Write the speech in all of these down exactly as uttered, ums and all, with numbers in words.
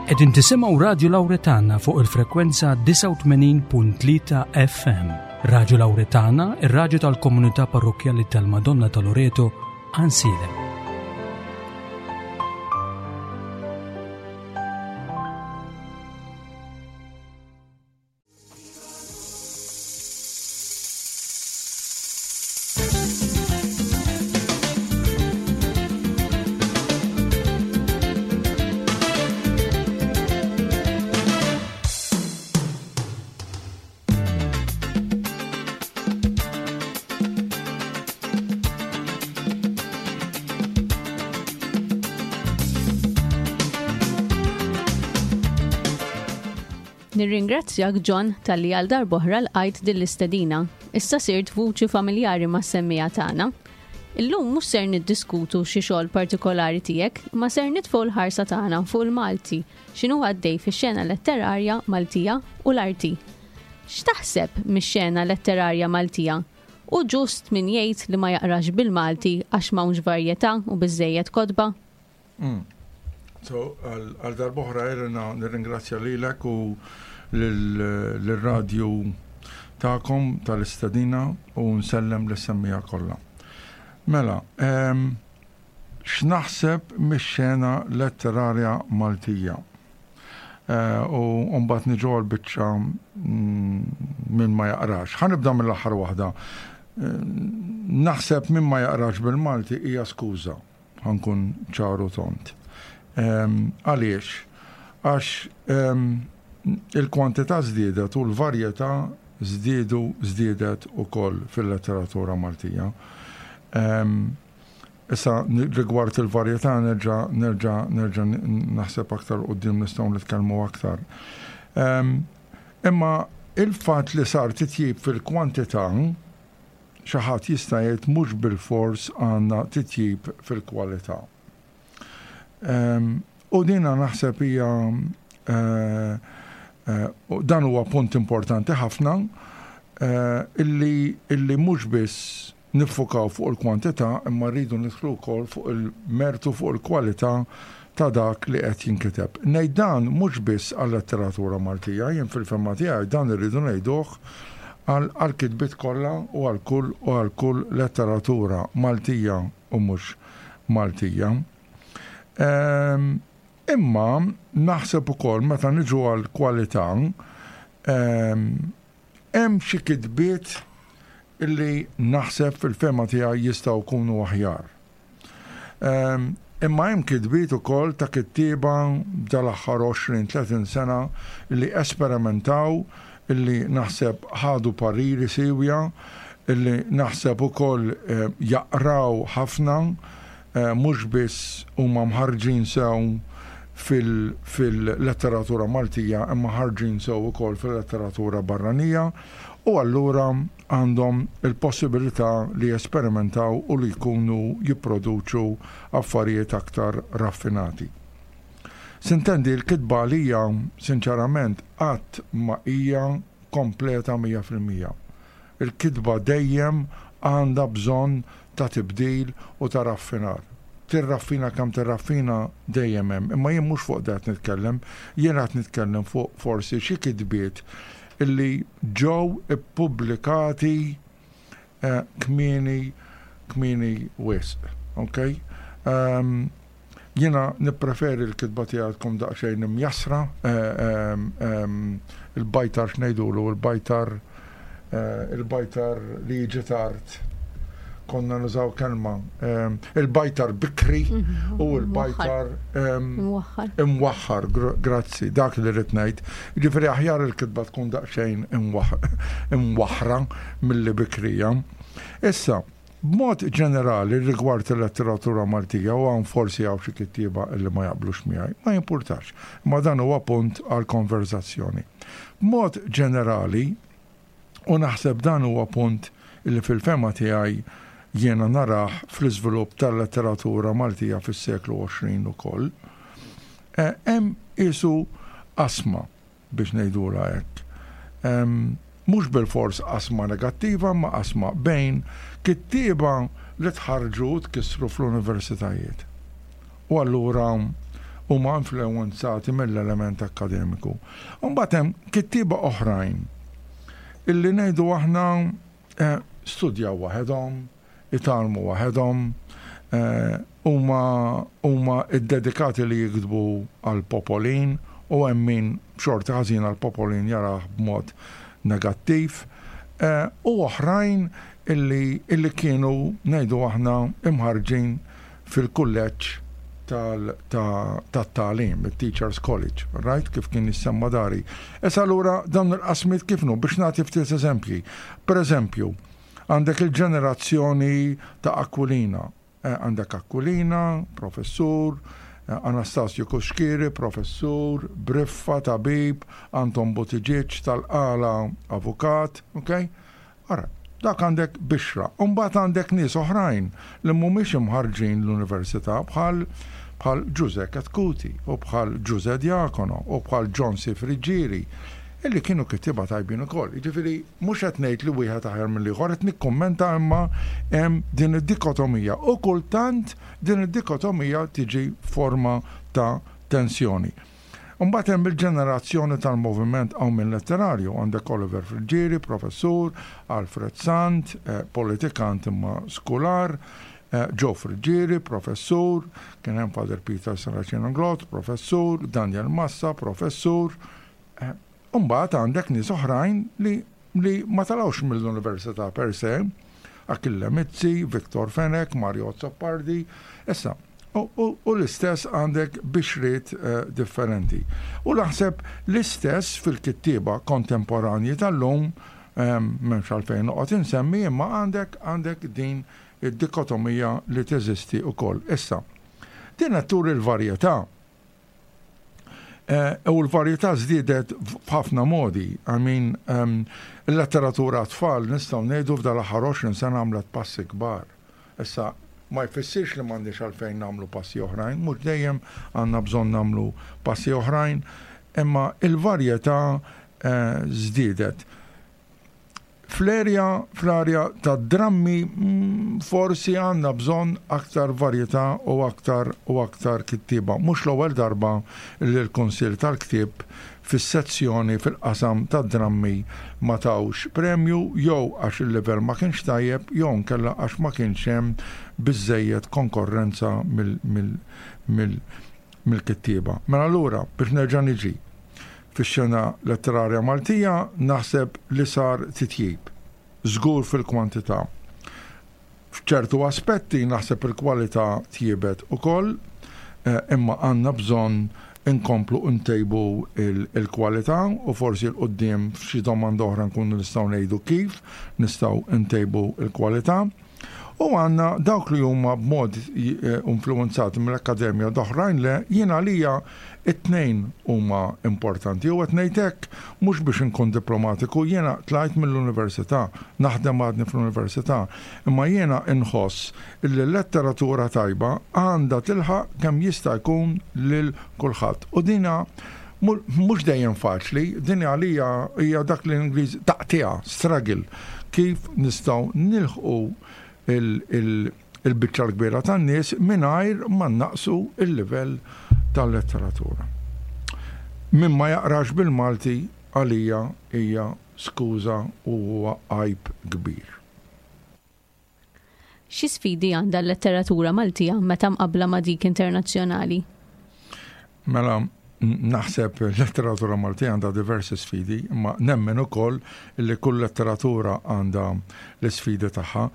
Qegħdin tisimgħu Radju Lawretana fuq il-frekwenza disgħa u tmenin punt tlieta F M. Radju Lawretana, ir-radju tal-Komunità Parrokkjali tal-Madonna ta' Loreto, Għajnsielem. Nirringrazzjak, John, talli għal darb'oħra lqajt din l-istedina. Issa sirt vuċi familjari mas-semmiegħa tagħna. Illum mhux ser niddiskutu xi xogħol partikolari tiegħek, ma ser nitfgħu l-ħarsa tagħna fuq il-Malti, x'inhu għaddej fix-xena letterarja Maltija u l-arti. X'taħseb mix-xena letterarja Maltija? U ġust min jgħid li ma jaqrax bil-Malti għax m'hawnx varjetà u biżejjed kotba? Mm. So, għal darb'oħra, Elena, nirringrazzja lilek u l-radju tagħkom tal-istedina u nsellem lis-semmiegħa kollha. Mela, x'naħseb mix-xena letterarja Maltija? Eh, u mbagħad niġu għal biċċa mm, min ma jaqrax. Ħa nibda mill-aħħar waħda. Eh, naħseb min ma jaqrax bil-Malti hija skuża, ħa nkun ċar u tond. Għaliex? Għax il-kwantità żdiedet u l-varjetà żdiedu żdiedet ukoll fil-letteratura Maltija. Issa, rigward il-varjetà, nerġa' nerġa' nerġa' naħseb aktar quddiem nistgħu nitkellmu aktar. Imma il-fatt li sar titjib fil-kwantità, xi ħadd jista' jgħid mhux bil-fors għandna titjib fil-kwalità. U dina naħseb hija eh, eh, dan huwa punt importanti ħafna eh, illi illi mhux biss niffukaw fuq il-kwantità, imma rridu nidħlu wkoll fuq il-mertu, fuq il-kwalità ta' dak li qed jinkiteb. Ngħid dan mhux biss għal-letteratura Maltija, jien fil-fehma tiegħi dan irridu ngħiduh għal kitbiet kollha u għal kull u għal kull letteratura Maltija u mhux Maltija. Imma naħseb ukoll, meta niġu għal kwalità, hemm xi kitbiet illi naħseb fil-fehma tiegħi jistgħu jkunu aħjar. Imma hemm kitbiet ukoll ta' kittieba dal-aħħar għoxrin tletin sena li esperimentaw, illi naħseb ħadu pariri siewja, illi naħseb ukoll eh, jaqraw ħafna, eh, mhux biss huma mħarġin sew fil-letteratura Maltija, imma ħarġin sew ukoll fil-letteratura barranija, u allura għandhom il-possibilità li jesperimentaw u li jkunu jipproduċu affarijiet aktar raffinati. S'intendi, l-kitba għalija, sinċerament, qatt ma hija kompleta mija fil-mija. Il-kitba dejjem għandha bżonn ta' tibdil u ta' raffinar. Tirraffina kemm tirraffina, dejjem hemm. Imma jien mhux fuq dat nitkellem, jien qed nitkellem fuq forsi xi kitbiet illi ġew ippubblikati eh, kmieni kmieni wisq. Okay? Um, jiena nippreferi l-kitba tiegħek tkun daqsxejn imjassra, eh, um, um, il-bajtar x'ngħidulu, il-bajtar eh, il-bajtar li jiġi tard. Konna nużaw kelma, um, il-bajtar bikri u l-bajtar um, Imwaħħar. Imwaħħar, grazzi, dak li rrid ngħid. Ġifieri aħjar il-kitba tkun daqsxejn imwaħħra milli bikrija. Issa, b'mod ġenerali rigward il-letteratura Maltija, u hawn forsi hawn xi kittieba illi ma jaqblux miegħi, ma jimpurtax, ma dan huwa punt għal konverzazzjoni. B'mod ġenerali, u naħseb dan huwa punt illi fil-fehma tiegħi jiena narah fl-iżvilupp tal-letteratura Maltija fis-seklu għoxrin ukoll, eh, hemm isu qasma, biex ngħidula hekk. Mhux bil-fors qasma negattiva, ma qasma bejn kittieba li tħarġu u tkissru fl-universitajiet. U allura huma influwenzati mill-element akkademiku. Mbagħad hemm kittieba oħrajn illi ngħidu aħna eh, studjaw waħedhom, itgħallmu waħedhom, eh, huma huma iddedikati li jiktbu għal popolin u hemm min b'xorti ħażina l-popolin jarah b'mod negattiv, eh, u oħrajn illi, illi kienu ngħidu aħna imħarġin fil-kulleġġ tat-tagħlim, il-Teachers College, right? Kif kien jissemma dari. Issa allura dawn il-qasmiet kif nu biex nagħti ftit eżempji. Per eżempju, għandek il-ġenerazzjoni ta' Aquilina. Eh, għandek Aquilina, professur, eh, Anastasio Cuschieri, professur, Briffa, tabib, Anton Buttigieg tal-Qala, avukat, ok? Ara, dak għandek bixra. Umbagħad għandek nies oħrajn li mhumiex imħarġin l-università bħal bħal Ġuże Chetcuti u bħal Ġuże Diacono u bħal John C. Friggieri illi kienu kittieba tajbin ukoll. Jiġifieri mhux qed ngħid li wieħed aħjar mill-ieħor, qed nikkummenta imma hemm din id-dikotomija u kultant din id-dikotomija tiġi forma ta' tensjoni. Mbagħad hemm il-ġenerazzjoni tal-moviment Qawmien Letterarju, għandek Oliver Friggieri, professur, Alfred Sant, eh, politikant imma skular, eh, Joe Friggieri, professur, kien hemm Father Peter Serracino Inglott, professur, Daniel Massa, professur. Eh, Mbagħad għandek nies oħrajn li, li ma talgħux mill-università per se, Achille Mizzi, Victor Fenech, Mario Azzopardi, issa, u, u, u l-istess għandek bixriet eh, differenti. U naħseb l-istess fil-kittieba kontemporanji tal-lum, eh, m'hemmx għalfejn noqgħod insemmi, imma għandek għandek din id-dikotomija li teżisti wkoll. Issa, din qed turi l-varjetà. Eh, U l-varjetà żdiedet f'ħafna modi. I mean, um, il-letteratura tfal nistgħu ngħidu f'dal aħħar għoxrin sena għamlet passi kbar. Issa, ma jfissirx li m'għandniex għalfejn nagħmlu passi oħrajn, mhux dejjem għandna bżonn nagħmlu passi oħrajn, imma il-varjetà eh, żdiedet. Fl-erja, fl-arja ta' drammi mm, forsi għandna bżonn aktar varjetà u aktar u aktar kittiba. Mhux l-ewwel darba li l-Kunsill tal-Ktieb fis-sezzjoni fil-qasam ta' drammi ma tawx premju jew għax il-livell ma kienx tajjeb jew nkella għax ma kienx hemm biżejjed konkorrenza mill-kittieba. Mela allura biex nerġa' niġi fix-xena letterarja Maltija naħseb li sar titjib, żgur fil-kwantità. F'ċertu aspetti naħseb il-kwalità tjiebet ukoll, eh, imma għandna bżonn inkomplu ntejbu il-kwalità u forsi 'l quddiem f'xi domanda oħra nkunu nistgħu ngħidu kif nistgħu ntejbu il-kwalità. U għandna dawk li huma b'mod eh, influenzati mill-akkademja oħrajn le, jiena għalija it-tnejn huma importanti. U qed ngħid hekk mhux biex inkun diplomatiku, jiena tlajt mill-università, naħdem għadni fl-università, imma jiena inħoss li l-letteratura tajba għandha tilħaq kemm jista' jkun lil kulħadd. U dina mhux dejjem faċli, din għalija hija dak li l-Ingliż taqtiegħa, struggle, kif nistgħu nilħqu il-biċċa l-kbira tan-nies mingħajr ma naqsu il-livell tal-letteratura. Min ma jaqrax bil-Malti għalija hija skuża u huwa għajb kbir. Xi sfidi għandha l-letteratura Maltija meta mqabbla ma' dik internazzjonali? Mela, naħseb l-letteratura Maltija għandha diversi sfidi, imma nemmen ukoll li kull letteratura għandha l-sfidi tagħha.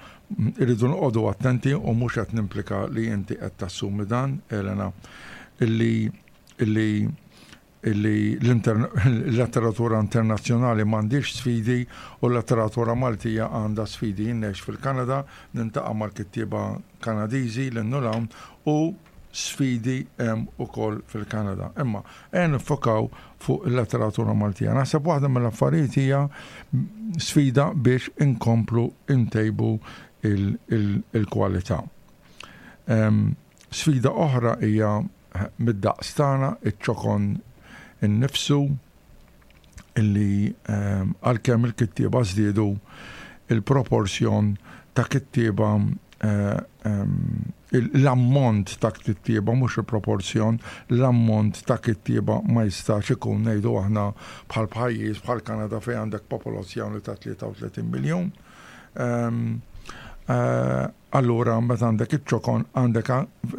Irridu noqogħdu attenti u mhux qed nimplika li inti qed tassumi dan, Elena, illi illi illi l-letteratura internazzjonali m'għandix sfidi u l-letteratura Maltija għandha sfidi. Jien ngħix fil-Kanada, niltaqa' mal-kittieba Kanadiżi l hawn u sfidi hemm ukoll fil-Kanada. Imma ejja niffokaw fuq il-letteratura Maltija. Naħseb waħda mill-affarijiet hija sfida biex inkomplu intejbu il-kwalità. Sfida oħra hija mid-daqs tagħna, iċ-ċokon innifsu, illi għalkemm il-kittieba żdiedu, il-proporzjon ta' kittieba eh, l-ammont ta' kittieba, mhux il-proporzjon, l-ammont ta' kittieba ma jistax ikun, ngħidu aħna, bħal pajjiż bħal Kanada fejn għandek popolazzjoni ta' tlieta u tletin miljun. Eh, allura meta għandek iċ-ċokon għandek,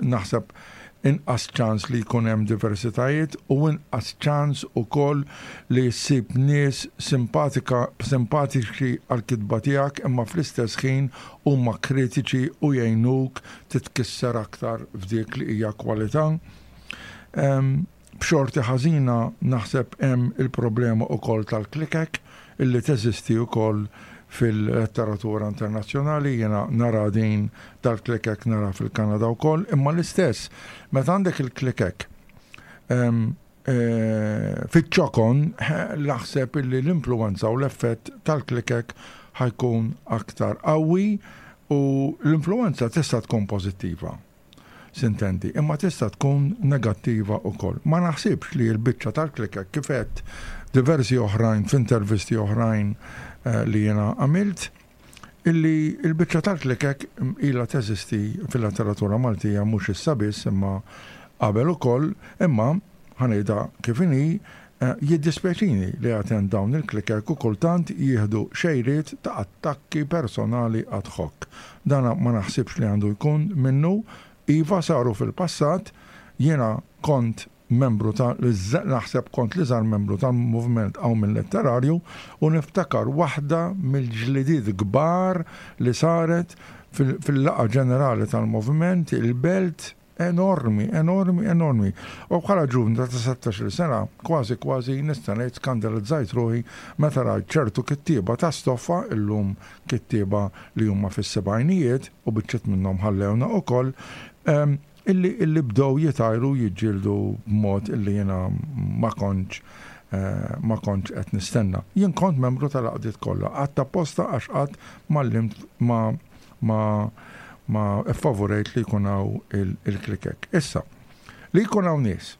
naħseb, inqas ċans li jkun hemm diversitajiet u inqas ċans ukoll li ssib nies simpatika simpatiċi għal-kitba tiegħek, imma fl-istess ħin huma kritiċi u jgħinuk titkisser aktar f'dik li hija kwalità. B'xorti ħażina naħseb hemm il-problema ukoll tal-klikek illi teżisti wkoll fil-letteratura internazzjonali. Jena nara din tal-klikek, nara fil-Kanada wkoll, imma l-istess, meta għandek il-klikek e, fiċ-ċokon, naħseb illi l-influenza u l-effett tal-klikek ħa jkun aktar qawwi u l-influenza tista' tkun pożittiva, sintendi, imma tista' tkun negattiva wkoll. Ma naħsibx li l-biċċa tal-klikek, kif għedt diversi oħrajn f'intervisti oħrajn eh, li jena għamilt, illi il-biċċa tal-klikek ila teżisti fil-letteratura Maltija mhux issa biss imma qabel ukoll, imma ħa ngħidha kif inhi, eh, jiddispjaċini li għad dawn il-klikek u kultant jieħdu xejriet ta' attakki personali ad hoc. Dana ma naħsibx li għandu jkun minnu. Iva, saru fil-passat, jiena kont membru ta' naħseb kont l-iżgħar membru tal-movement Għawmien Letterarju u niftakar waħda mill-ġlidiet kbar li saret fil-laqgħa ġenerali tal-movement il-Belt, enormi, enormi, enormi. U bħala ġuvni ta' sittax-il sena, kważi kważi nista' ngħid skandalizzajt ruħi meta rajt ċertu kittieba ta' stoffa, illum kittieba li huma fis-sebgħinijiet u biċċiet minnhom ħallewna ukoll, illi illi bdew jitajru, jiġġieldu b'mod illi jiena ma kontx eh, ma kontx qed nistenna. Jien kont membru tal-għaqdiet kollha, qatt apposta, għax qatt ma ma ma ma favorejt li jkun hawn il-klikek. Issa, li jkun hawn nies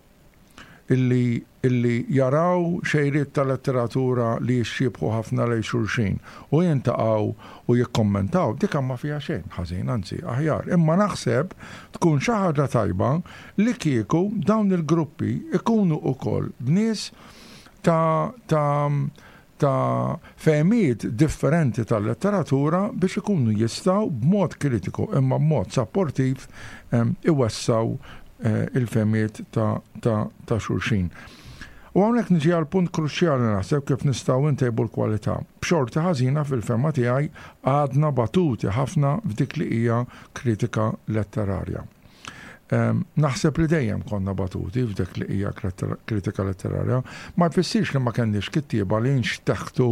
illi, illi jaraw xejriet ta' letteratura li jixxiebħu ħafna lejn xulxin u jiltaqgħu u jikkommentaw, dik ma fiha xejn ħażin, anzi aħjar. Imma naħseb tkun xi ħaġa tajba li kieku dawn il-gruppi ikunu ukoll b'nies ta' ta' ta' fehmiet differenti tal-letteratura biex ikunu jistgħu b'mod kritiku imma b'mod supportiv iwessgħu eh, il-fehmiet ta', ta, ta' xulxin. U hawnhekk niġi għal punt kruċjali, naħseb, kif nistgħu ntejbu l-kwalità. B'xorti ħażina, fil-fehma tiegħi, għadna batuti ħafna f'dik li hija kritika letterarja. Naħseb li dejjem konna batuti f'dik li hija kritika letterarja, ma jfissirx li ma kenniex kittieba li nxteħtu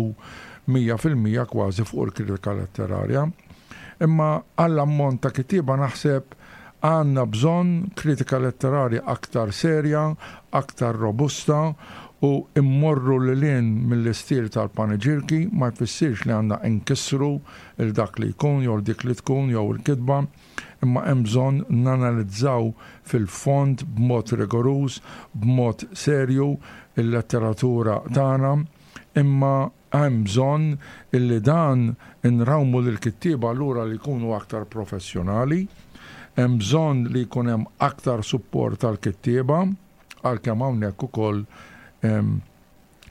mija fil-mija kważi fuq il-kritika letterarja. Imma għall-ammont ta' kittieba naħseb għandna bżonn kritika letterarja aktar serja, aktar robusta u immorru lil hinn mill-istil tal-paniġirki. Ma jfissirx li għandna nkissru 'l dak li jkun jew dik li tkun jew il-kitba, imma hemm bżonn nanalizzaw fil-fond b'mod rigoruż, b'mod serju il-letteratura tagħna, imma hemm bżonn illi dan inrawmu lil kittieba allura li jkunu aktar professjonali, hemm bżonn li jkun hemm aktar support tal-kittieba, għalkemm hawnhekk ukoll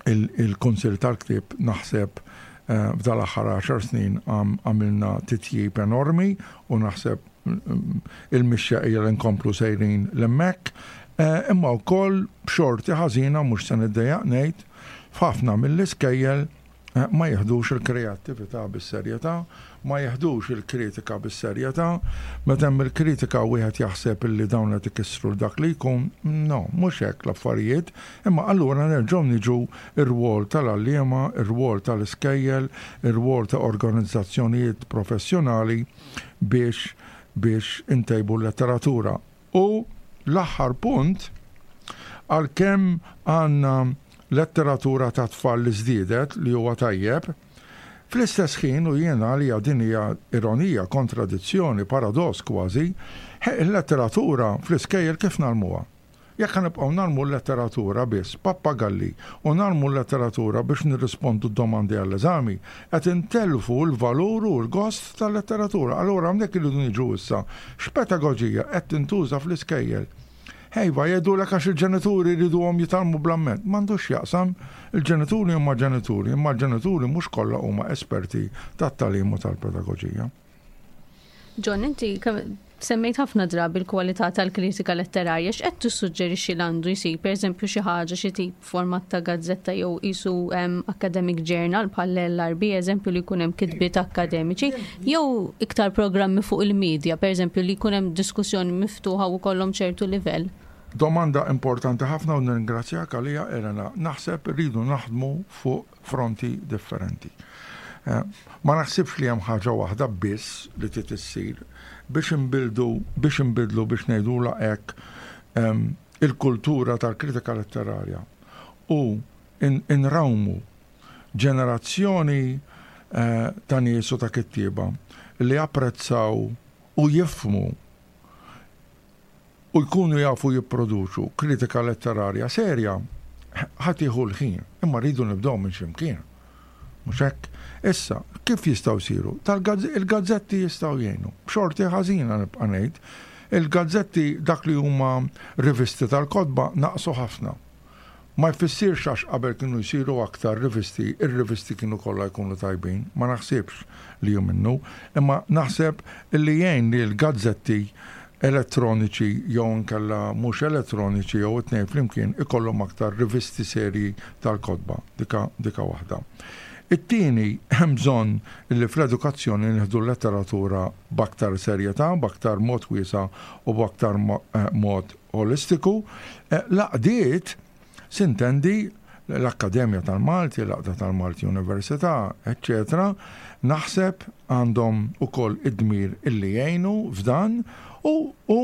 il-Kunsill tal-Ktieb naħseb eh, f'dal-aħħar għaxar snin għamilna titjib enormi u naħseb mm, il-mixja hija li nkomplu sejrin 'l hemmhekk. Eh, imma wkoll, b'xorti ħażina, mhux se niddejjaq ngħid, f'ħafna mill-iskejjel eh, ma jiħdux il-kreattività bis-serjetà, ma jiħdux il-kritika bis-serjetà. Meta hemm il-kritika wieħed jaħseb illi dawn qed ikissru dak li jkun, no, mhux hekk l-affarijiet, imma allura nerġgħu niġu ir-rwol tal-għalliema, ir-rwol tal-iskejjel, ir-rwol ta' organizzazzjonijiet professjonali biex biex intejbu l-letteratura. U l-aħħar punt, għalkemm għandna letteratura ta' tfal li żdiedet, li huwa tajjeb, fl-istess ħin, u jiena li din hija ironija, kontradizzjoni, paradoss kważi, il-letteratura fl-iskejjel kif ngħallmuha? Jekk ħa nibqgħu ngħallmu l-letteratura biss, pappagalli, u ngħallmu l-letteratura biex nirrispondu domandi għall-eżami, qed intellfu l-valur u l-gost tal-letteratura. Allura hawnhekk irridu niġu issa x'pedagoġija qed tintuża fl-iskejjel. Ejva, jgħidulek għax il-ġenituri jriduhom jitgħallmu bl-amment. M'għandux x'jaqsam, il-ġenituri huma ġenituri, imma l-ġenituri mhux kollha huma esperti tat-tagħlim u tal-pedagoġija. John, inti semmejt ħafna drabi l-kwalità tal-kritika letterarja, x'qed tissuġġerixxi li għandu jsir, pereżempju xi ħaġa xi tip format ta' gazzetta jew qisu academic journal bħal L R B, eżempju, li jkun hemm kitbiet akademiċi, jew iktar programmi fuq il-medja, pereżempju, li jkun hemm diskussjoni miftuħa u kollhom ċertu livell? Domanda importanti ħafna u nirringrazzjak għalija, Elena. Naħseb rridu naħdmu fuq fronti differenti. Eh, ma naħsibx li hemm ħaġa waħda biss li trid issir biex inbildu biex inbidlu, biex ngħidula hekk, il-kultura tal-kritika letterarja u inrawmu ġenerazzjoni eh, ta' nies u ta' kittieba li apprezzaw u jifhmu u jkunu jafu jipproduċu kritika letterarja serja, ħa tieħu l-ħin, imma rridu nibdew minn ximkien. Mhux hekk? Issa, kif jistgħu jsiru? Il-gazzetti jistgħu jgħinu. B'xorti ħażina nibqa' ngħid, il-gazzetti, dak li huma rivisti tal-kotba, naqsu ħafna. Ma jfissirx għax qabel kienu jsiru aktar rivisti, ir-rivisti kienu kollha jkunu tajbin, ma naħsibx li hu minnu, imma naħseb li jgħin li l-gazzetti elettroniċi jew nkella mhux elettroniċi jew it-tnejn flimkien ikollhom aktar rivisti serji tal-kotba, dika, dika waħda. It-tieni, hemm bżonn li fl-edukazzjoni nieħdu l-letteratura b'aktar serjetà, b'aktar mod wiesa' u b'aktar eh, mod holistiku. Eh, l-għaqdiet, s'intendi l-Akkademja tal-Malti, l-Għaqda tal-Malti Università, eccetera, naħseb għandhom ukoll id-dmir illi jgħinu f'dan u, u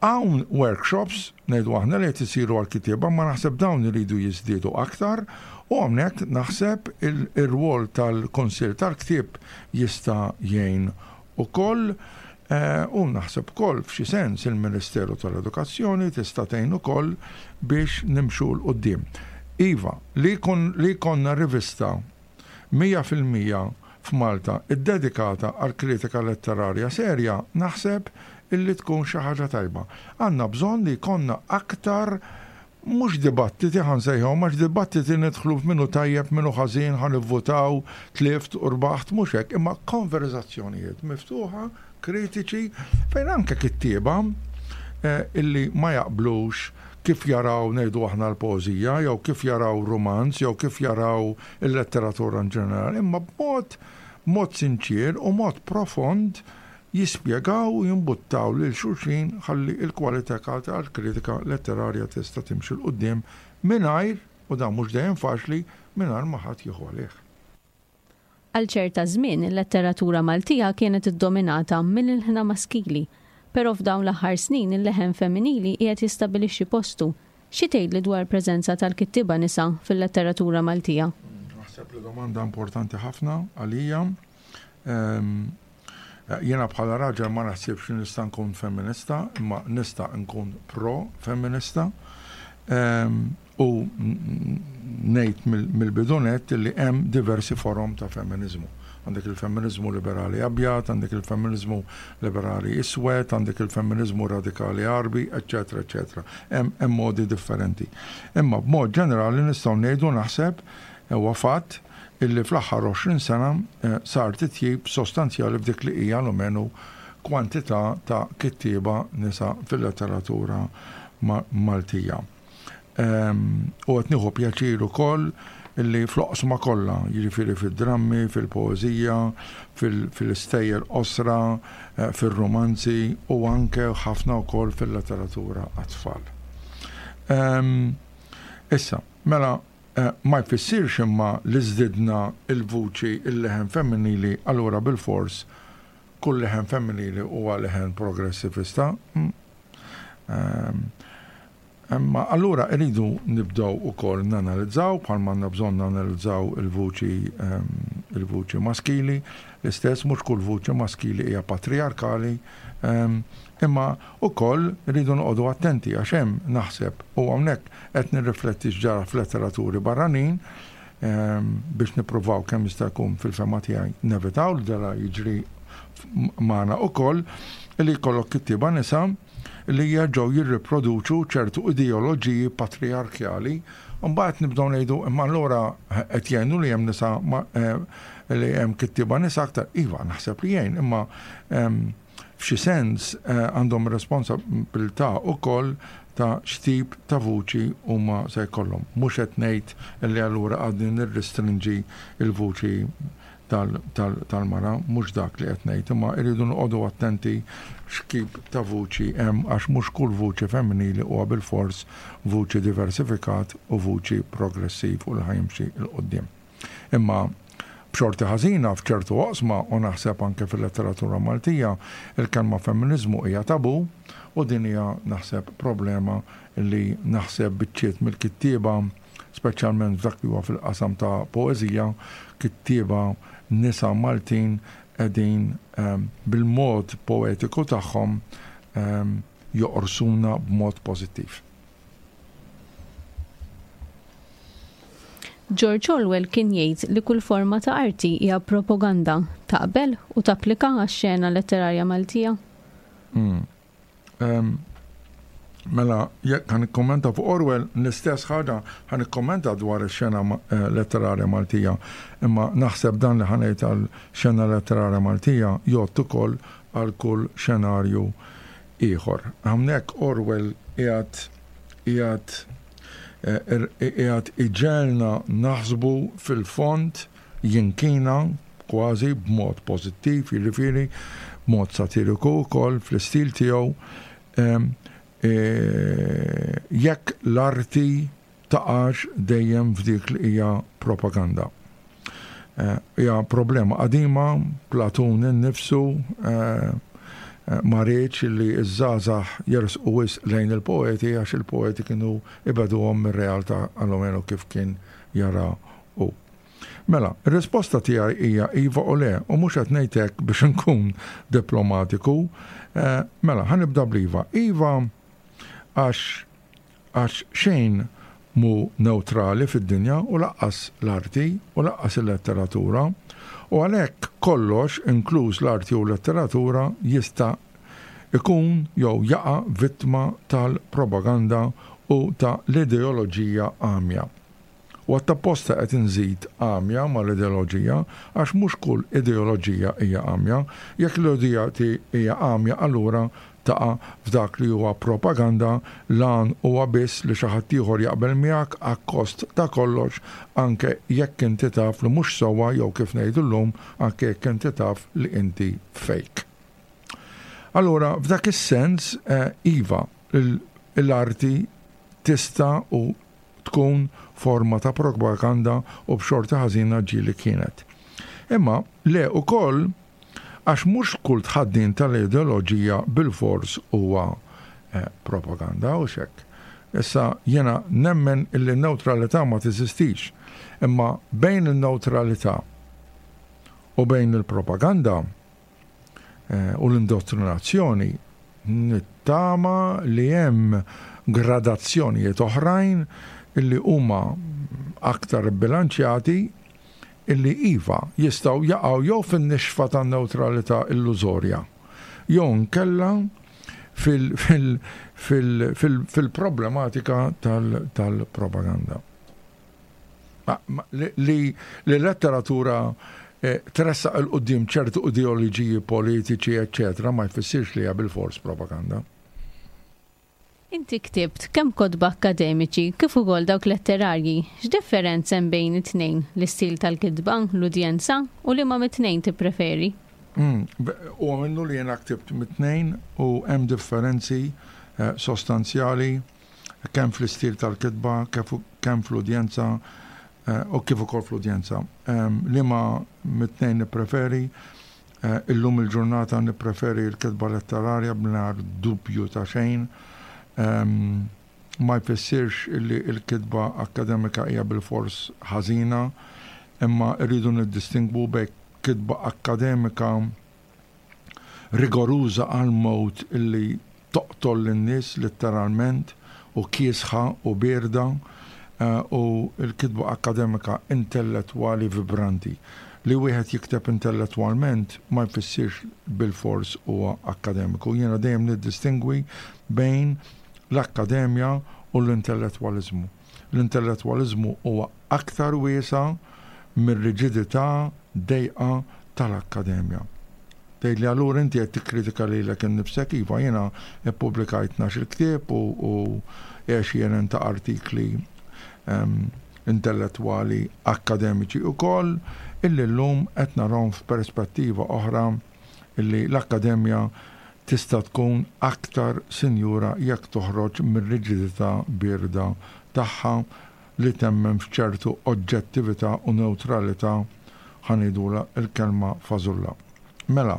hawn workshops, ngħidu aħna, li qed isiru għal-kittieba, ma naħseb dawn iridu jiżdiedu aktar u hawnhekk naħseb il-rwol tal-Kunsill tal-Ktieb jista' jgħin ukoll eh, u naħseb ukoll f'xi sens il-Ministeru tal-Edukazzjoni tista' tgħin ukoll biex nimxu 'l quddiem. Iva, li kon, li konna rivista mija fil-mija f'Malta iddedikata għal kritika letterarja serja, naħseb illi tkun xi ħaġa tajba. Għandna bżonn li jkollna aktar, mhux dibattiti ħa nsejħu, għax dibattiti nidħlu f'minu tajjeb, minu ħażin, ħa nivvutaw, tlift u rbaħt, mhux hekk, imma konverzazzjonijiet miftuħa, kritiċi, fejn anke kittieba eh, illi ma jaqblux kif jaraw, ngħidu aħna, l-poeżija, jew kif jaraw romanz, jew kif jaraw il-letteratura in ġenerali, imma b'mod mod sinċir u mod profond jispjegaw u jimbuttaw lil xulxin ħalli il-kwalità tal-kritika letterarja tista' timxi 'l quddiem mingħajr, u dan mhux dejjem faċli, mingħajr ma ħadd jieħu għalih. Għal ċerta żmien il-letteratura Maltija kienet iddominata mill-ilħna maskili, però f'dawn l-aħħar snin il-leħen femminili qiegħed jistabilixxi postu. Xi tgħidli dwar preżenza tal-kittieba nisa fil-letteratura Maltija? Naħseb li domanda importanti ħafna għalija. Ehm, Jiena bħala raġel ma naħsibx li nista' nkun femminista, imma nista' nkun pro-femminista. Ehm, u ngħid mill-bidunet li hemm diversi forom ta' femminizmu. Għandek il-femminizmu liberali abjad, għandek il-femminizmu liberali iswed, għandek il-femminizmu radikali Għarbi, eccetera, eccetera. Hemm modi differenti. Imma b'mod ġenerali nistgħu ngħidu, naħseb huwa fatt illi fl-aħħar għoxrin sena eh, sar titjib sostanzjali f'dik li hija almenu kwantità ta' kittieba nisa fil-letteratura Maltija. U qed nieħu pjaċir ukoll illi fl-oqsma kollha, jiġifieri fid-drammi, fil-poeżija, fil-istejjer qosra, eh, fil-romanzi u anke ħafna wkoll fil-letteratura għat-tfal. Issa, mela, eh, ma jfissirx imma li żdidna il-vuċi, il-leħen femminili, allura bil-fors kull leħen femminili huwa leħen progressivista. Mm. Imma allura rridu nibdew ukoll nanalizzaw, bħalma għandna bżonn nanalizzaw il-vuċi ehm, il-vuċi maskili, l-istess, mhux kull vuċi maskili hija patriarkali, ehm, Imma ukoll rridu noqogħdu attenti għax hemm naħseb u hawnhekk qed nirrifletti x'ġara f'letteraturi barranin ehm, biex nippruvaw kemm jista' jkun fil-fehma tiegħi nevitaw li dara jiġri magħna ukoll li jkollok kittieba nisa li jerġgħu jirriproduċu ċertu ideoloġiji patriarkjali. Mbagħad nibdew ngħidu imma allura qed jgħinu li hemm nisa eh, li hemm kittieba nisa aktar. Iva, naħseb li jgħin, imma ehm, f'xi sens eh, għandhom responsabilità ukoll ta' x'tip ta' vuċi huma se jkollhom. Mhux qed ngħid li allura għadni nirrestrinġi il-vuċi tal-mara, mhux dak li qed ngħid, imma rridu noqogħdu attenti x'tip ta' vuċi hemm għax mhux kull vuċi femminili huwa bilfors vuċi diversifikat u vuċi progressiv u li ħa jimxi 'l quddiem. Imma b'xorti ħażina f'ċertu oqsma u naħseb anke fil-letteratura Maltija, il-kelma femminizmu hija tabu u din hija naħseb problema li naħseb biċċiet mill-kittieba, speċjalment f'dak li huwa fil-qasam ta' poeżija, kittieba nisa Maltin qegħdin ehm, bil-mod poetiku tagħhom ehm, joqorsuna b'mod pożittiv. George Orwell kien jgħid li kull forma ta' arti hija propaganda. Taqbel u tapplika għax-xena letterarja Maltija? Mm. Um, mela, jekk ħa nikkommenta fuq Orwell, l-istess ħaġa ħa nikkommenta dwar ix-xena eh, letterarja Maltija. Imma naħseb dan li ħa ngħid għal xena letterarja Maltija jgħodd ukoll għal kull xenarju ieħor. Hawnhekk Orwell qiegħed qiegħed eh, qiegħed iġegħelna naħsbu fil-fond jinkina kważi b'mod pożittiv, jiġifieri b'mod satiriku wkoll fl-istil tiegħu e, jekk l-arti taqax dejjem f'dik li hija propaganda. Eh, hija problema qadima, Platun innifsu eh, eh, ma riedx li ż-żgħażagħ jersqu wisq lejn il-poeti għax il-poeti kienu ibegħduhom mir-realtà almenu kif kien jara hu. Mela, ir-risposta tiegħi hija iva u le, u mhux qed ngħid hekk biex inkun diplomatiku. Eh, mela, ħa nibda bl-iva. Iva għax għax xejn mhu newtrali fid-dinja u lanqas l-arti u lanqas il-letteratura u għalhekk kollox, inkluż l-arti u l-letteratura, jista' ikun jew jaqa' vittma tal-propaganda u ta' l-ideoloġija għamja. U għattapposta qed inżid għamja mal-ideoloġija għax mhux kull ideoloġija hija għamja. Jekk l-ideoloġija hija għamja allura taqa' f'dak li huwa propaganda, l-għan huwa biss li xi ħadd ieħor jaqbel miegħek akkost ta' kollox anke jekk inti taf li mhux sewwa jew kif ngħidu llum anke jekk inti taf li inti fake. Allura f'dak is-sens eh, iva, l-arti tista' u tkun forma ta' propaganda u b'xorti ħażina ġieli kienet. Imma le ukoll għax mhux kull tħaddin tal-ideoloġija bilfors huwa eh, propaganda u xek. Issa jena nemmen illi n-neutralità ma teżistix, imma bejn il-neutralità u bejn il-propaganda eh, u l-indottrinazzjoni nittama li hemm gradazzjonijiet oħrajn illi huma aktar bilanċjati illi iva jistgħu jaqgħu jew fin-nixfa tan-newtralità illużorja jew nkella fil-problematika tal-propaganda. Li letteratura eh, tressaq 'il quddiem ċertu ideoloġiji politiċi, eccetera, ma jfissirx li hija bilfors propaganda. Inti ktibt kemm kotba akkademiċi kif ukoll dawk letterarji. X'differenza hemm bejn it-tnejn, l-istil tal-kitba, l-udjenza u liema mit-tnejn tippreferi? Mm, u minnu li jena ktibt mit-tnejn u hemm differenzi eh, sostanzjali kemm fl-istil tal-kitba, kemm fl-udjenza eh, u kif ukoll fl-udjenza. Liema mit-tnejn nippreferi, eh, illum il-ġurnata nippreferi l-kitba letterarja bla dubju ta' xejn. Ma jfissirx illi l-kitba akkademika hija bilfors ħażina, imma rridu niddistingwu bejn kitba akkademika rigoruża għal-mod illi toqtol lin-nies letteralment u kiesħa u bierda, u l-kitba akkademika intellettwali vibranti. Li wieħed jikteb intellettwalment ma jfissirx bil-fors huwa akkademiku. Jiena dejjem niddistingwi bejn l-akkademja u l-intellettwaliżmu. L-intellettwaliżmu huwa aktar wiesa' mir-riġidità dejqa tal-akkademja. Tgħid li allura inti qed tikkritika lilek innifsek, iva, jiena ppubblikajt tnax-il ktieb u għexieren ta' artikli intellettwali akkademiċi wkoll, illi llum qed narahom f'perspettiva oħra illi l-akkademja tista' tkun aktar sinjura jekk toħroġ mir-riġidità bierda tagħha li temmen f'ċertu oġġettività u newtralità, ħa ngħidulha il-kelma fażulla. Mela,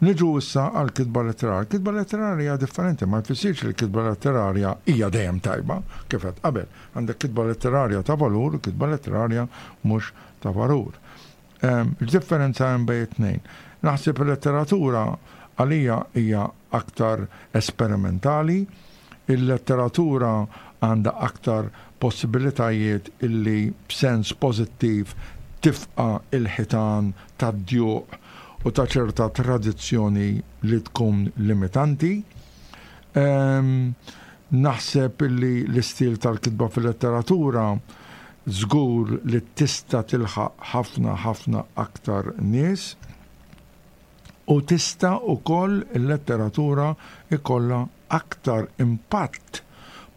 niġu issa għal kitba letterarja. Kitba letterarja hija differenti, ma jfissirx li kitba letterarja hija dejjem tajba, kif qed qabel. Għandek kitba letterarja ta' valur u kitba letterarja mhux ta' valur. X'differenza hemm bejn it-tnejn? Naħseb il-letteratura għalija hija aktar esperimentali, il-letteratura għandha aktar possibilitajiet illi b'sens pożittiv tifqa' il-ħitan tad-djuq u ta' ċerta tradizzjoni li tkun limitanti. Naħseb illi l-istil tal-kitba fil-letteratura żgur li tista' tilħaq ħafna ħafna aktar nies u tista' ukoll il-letteratura ikollha aktar impatt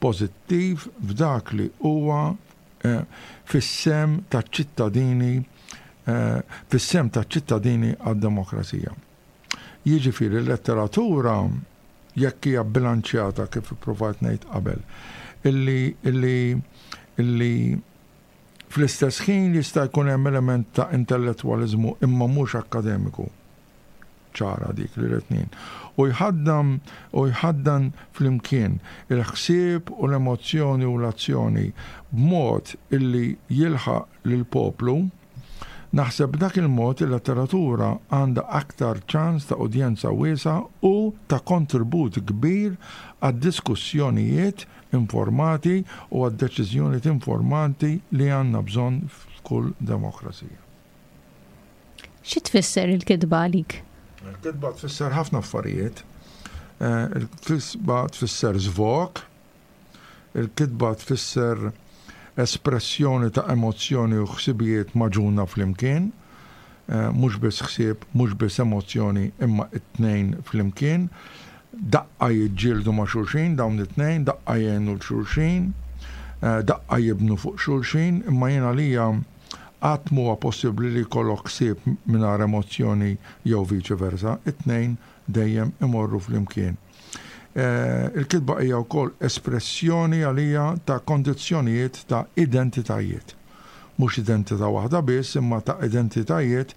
pożittiv f'dak li huwa fis-sem taċ-ċittadini fis-sem taċ-ċittadini għad-demokrazija. Jiġifieri l-letteratura jekk hija bilanċjata kif ippruvajt ngħid qabel, illi illi illi fl-istess ħin jista' jkun hemm element ta' intellettwaliżmu imma mhux akkademiku. Ċara dik li l-etnin. U jħaddam u jħaddan flimkien il-ħsieb u l-emozzjoni u l-azzjoni b'mod illi jilħaq lill-poplu. Naħseb dak il-mod il-letteratura għandha aktar ċans ta' udjenza wiesgħa u ta' kontribut kbir għad-diskussjonijiet informati u għad-deċiżjonijiet informati li għandna bżonn f'kull demokrazija. Xi tfisser il-kitba għalik? Il-kitba tfisser ħafna affarijiet. Il-kitba tfisser żvog, il-kitba tfisser espressjoni ta' emozzjoni u ħsibijiet maġuna flimkien, mhux biss ħsieb, mhux biss emozzjoni, imma it-tnejn flimkien. Daqqa jiġġieldu ma' xulxin, dawn it-tnejn, daqqa jgħinu l-xulxin, daqqa jibnu fuq xulxin, imma jien għalija qatt m'huwa possibbli li jkollok ħsieb mingħajr emozzjoni jew viċi versa, it-tnejn dejjem imorru flimkien. Il-kitba hija wkoll espressjoni għalija ta' kondizzjonijiet ta' identitajiet. Mhux identità waħda biss, imma ta' identitajiet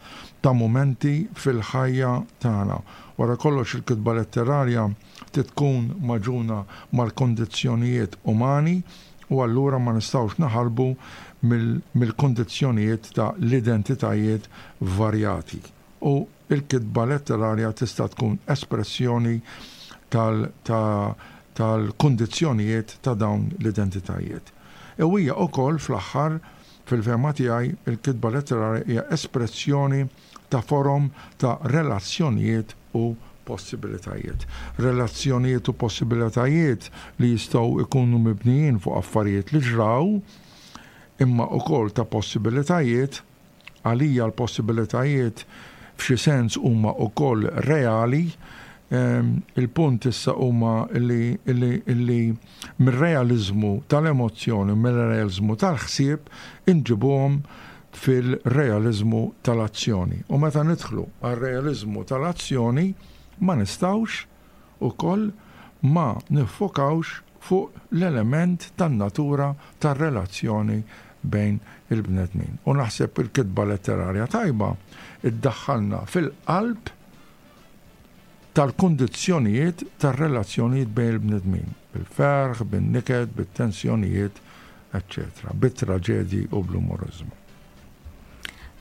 ta' mumenti fil-ħajja tagħna. Wara kollox il-kitba letterarja tkun maġuna mal-kondizzjonijiet umani u allura ma nistgħux naħarbu mill-kondizzjonijiet ta' l-identitajiet varjati. U il-kitba letterarja tista' tkun espressjoni tal-kondizzjonijiet ta' dawn l-identitajiet. U hija wkoll fl-aħħar fil-fehma tiegħi il-kitba letterarja hija espressjoni ta' forom ta' relazzjonijiet u possibilitajiet. Relazzjonijiet u possibilitajiet li jistgħu jkunu mibnijin fuq affarijiet li ġraw, imma wkoll ta' possibilitajiet. Għalija l-possibilitajiet f'xi sens huma wkoll reali. Il-punt issa huma li li mir-realiżmu tal-emozzjoni, mir-realiżmu tal-ħsieb inġibuhom fil-realiżmu tal-azzjoni. U meta nidħlu għar-realiżmu tal-azzjoni ma nistgħux ukoll ma niffokawx fuq l-element tan-natura tar-relazzjoni bejn il-bnedmin. U naħseb il-kitba letterarja tajba iddaħħalna fil-qalb tal-kondizzjonijiet tar-relazzjonijiet bejn il-bnedmin, bil-ferħ, bin-niket, bit-tensjonijiet, eċċetera, bit-traġedji u bl-umoriżmu.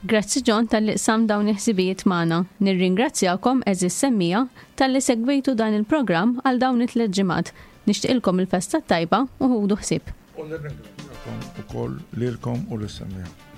Grazzi John talli qsamt dawn il-ħsibijiet magħna. Nirringrazzjakom, għeżież semmiegħa, talli segwejtu dan il-programm għal dawn it-tliet ġimgħat. Nixtieqilkom il-festa tajba u ħudu ħsieb. U nirringrazzjakom ukoll lilkom u lis-semmiegħa.